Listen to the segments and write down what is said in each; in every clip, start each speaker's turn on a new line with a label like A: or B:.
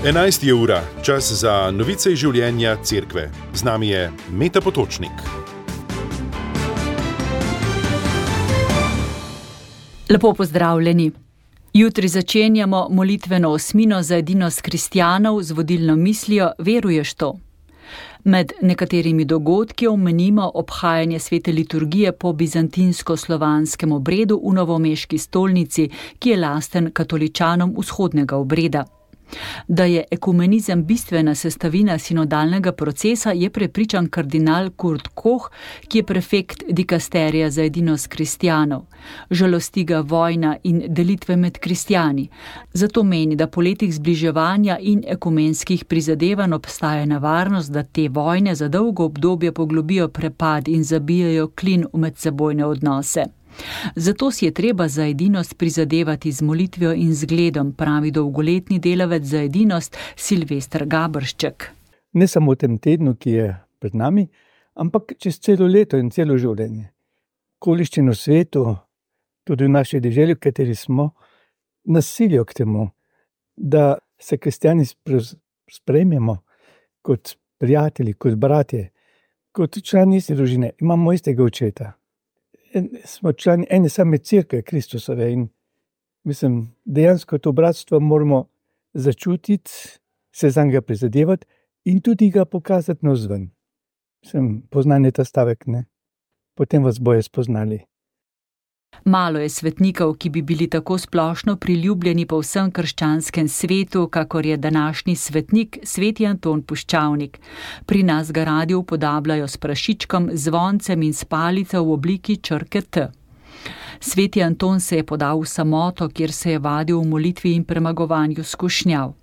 A: 11 je ura, čas za novice iz življenja cerkve. Z nami je Meta Potočnik.
B: Lepo pozdravljeni. Jutri začenjamo molitveno osmino za edinost kristjanov z vodilno mislijo Veruješ to? Med nekaterimi dogodki omenimo obhajanje svete liturgije po bizantinsko-slovanskem obredu v novomeški stolnici, ki je lasten katoličanom vzhodnega obreda. Da je ekumenizem bistvena sestavina sinodalnega procesa, je prepričan kardinal Kurt Koch, ki je prefekt dikasterija za edinost kristjanov. Žalosti ga vojna in delitve med kristjani. Zato meni, da po letih zbliževanja in ekumenskih prizadevanj obstaja nevarnost, da te vojne za dolgo obdobje poglobijo prepad in zabijajo klin v medsebojne odnose. Zato si je treba za edinost prizadevati z molitvijo in zgledom, pravi dolgoletni delavec za edinost Silvester Gabršček.
C: Ne samo v tem tednu, ki je pred nami, ampak čez celo leto in celo življenje. Okoliščine v svetu, tudi v naši deželi, v kateri smo, nas silijo k temu, da se kristjani sprejmemo kot prijatelji, kot bratje, kot člani iste družine. Imamo istega očeta. Smo člani ene same cerkve Kristusove in dejansko to bratstvo moramo začutiti, se zanj ga prizadevati in tudi ga pokazati navzven. Poznanje ta stavek, ne? Potem vas bojo spoznali.
B: Malo je svetnikov, ki bi bili tako splošno priljubljeni po vsem krščanskem svetu, kakor je današnji svetnik, sveti Anton Puščavnik. Pri nas ga radi upodabljajo s prašičkom, zvoncem in s palico v obliki črke T. Sveti Anton se je podal v samoto, kjer se je vadil v molitvi in premagovanju skušnjav.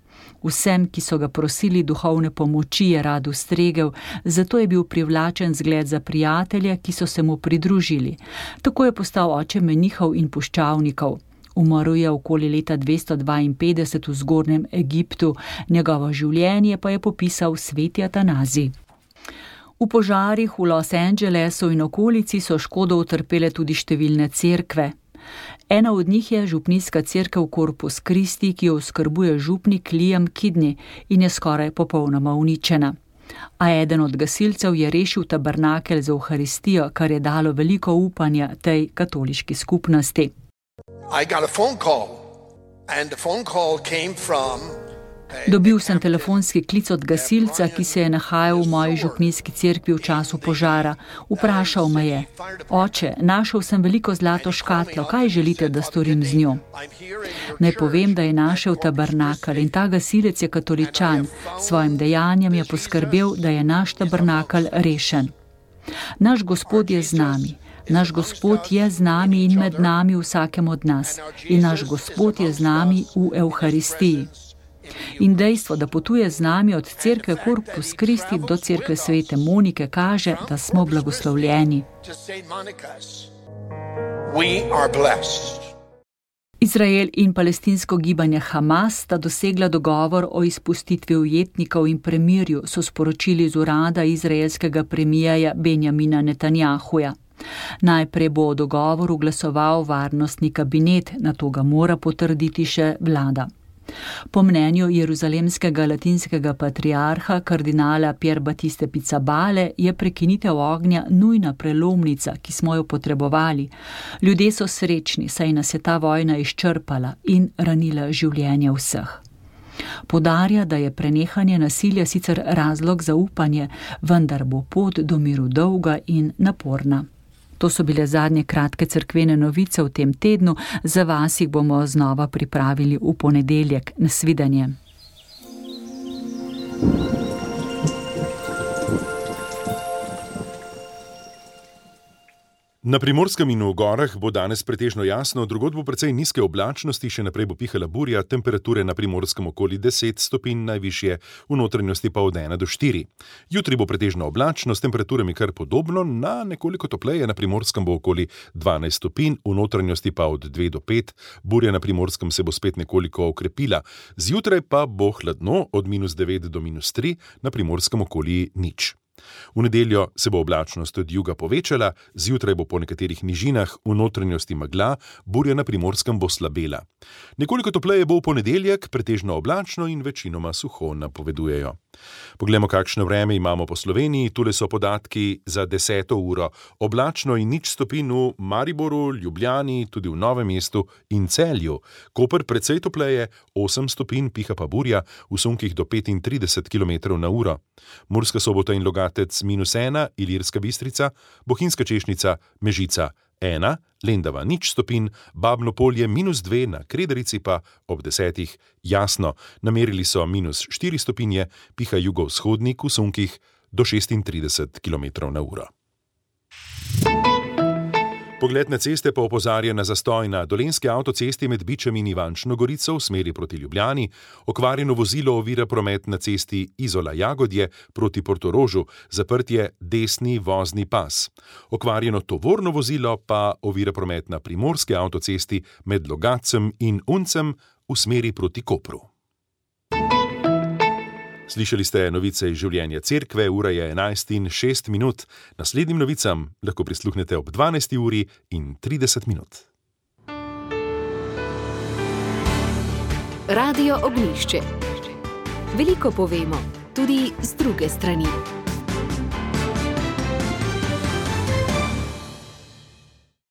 B: Vsem, ki so ga prosili duhovne pomoči, je rad ustregel, zato je bil privlačen zgled za prijatelje, ki so se mu pridružili. Tako je postal oče menihov in puščavnikov. Umrl je okoli leta 252 v zgornjem Egiptu, njegovo življenje pa je popisal sveti Atanazij. V požarih v Los Angelesu in okolici so škodo utrpele tudi številne cerkve. Ena od njih je župnijska cerkev Corpus Christi, ki jo oskrbuje župnik Liam Kidney in je skoraj popolnoma uničena. A eden od gasilcev je rešil tabernakelj za Evharistijo, kar je dalo veliko upanja tej katoliški skupnosti. Dobil sem telefonski klic od gasilca, ki se je nahajal v moji župnijski cerkvi v času požara. Vprašal me je: Oče, našel sem veliko zlato škatlo, kaj želite, da storim z njo? Naj povem, da je našel tabernakelj in ta gasilec je katoličan. Svojim dejanjem je poskrbel, da je naš tabernakelj rešen. Naš Gospod je z nami. Naš Gospod je z nami in med nami vsakem od nas. In naš Gospod je z nami v Evharistiji. In dejstvo, da potuje z nami od cerkve Corpus Christi do cerkve svete Monike, kaže, da smo blagoslovljeni. Izrael in palestinsko gibanje Hamas sta dosegla dogovor o izpustitvi ujetnikov in premirju, so sporočili z urada izraelskega premijerja Benjamina Netanjahuja. Najprej bo o dogovoru glasoval varnostni kabinet, nato ga mora potrditi še vlada. Po mnenju jeruzalemskega latinskega patriarha kardinala Pier Battiste Pizzabale je prekinitev ognja nujna prelomnica, ki smo jo potrebovali. Ljudje so srečni, saj nas je ta vojna izčrpala in ranila življenje vseh. Poudarja, da je prenehanje nasilja sicer razlog za upanje, vendar bo pot do miru dolga in naporna. To so bile zadnje kratke cerkvene novice v tem tednu, za vas jih bomo znova pripravili v ponedeljek. Nasvidenje.
A: Na Primorskem in v gorah bo danes pretežno jasno, drugod bo precej nizke oblačnosti, še naprej bo pihala burja, temperature na Primorskem okoli 10 stopinj, najvišje v notranjosti pa od 1 do 4. Jutri bo pretežno oblačno, s temperaturami kar podobno, na nekoliko topleje na Primorskem bo okoli 12 stopinj, v notranjosti pa od 2 do 5. Burja na Primorskem se bo spet nekoliko okrepila. Zjutraj pa bo hladno od -9 do -3, na Primorskem okoli 0. V nedeljo se bo oblačnost od juga povečala, zjutraj bo po nekaterih nižinah v notranjosti megla, burja na Primorskem bo slabela. Nekoliko topleje bo v ponedeljek, pretežno oblačno in večinoma suho, napovedujejo. Poglejmo, kakšno vreme imamo po Sloveniji. Tule so podatki za 10. uro. Oblačno in 0 stopinj v Mariboru, Ljubljani, tudi v Novem mestu in Celju. Koper precej topleje, 8 stopinj, piha pa burja, v sunkih do 35 km/h. Murska Sobota in Logatec -1, Ilirska Bistrica, Bohinjska Češnica, Mežica 1, Lendava 0 stopinj, Babno Polje -2, na Krederici pa ob 10 jasno. Namerili so -4 stopinje, piha jugovzhodnik v sunkih do 36 km/h. Pogled na ceste pa opozarja na zastoj na Dolenjski avtocesti med Bičem in Ivančno Gorico v smeri proti Ljubljani, okvarjeno vozilo ovira promet na cesti Izola-Jagodje proti Portorožu, zaprt je desni vozni pas. Okvarjeno tovorno vozilo pa ovira promet na Primorski avtocesti med Logatcem in Uncem v smeri proti Kopru. Slišali ste novice iz življenja cerkve, ura je 11:06. Naslednjim novicam lahko prisluhnete ob 12:30.
D: Radio Ognjišče. Veliko povemo, tudi z druge strani.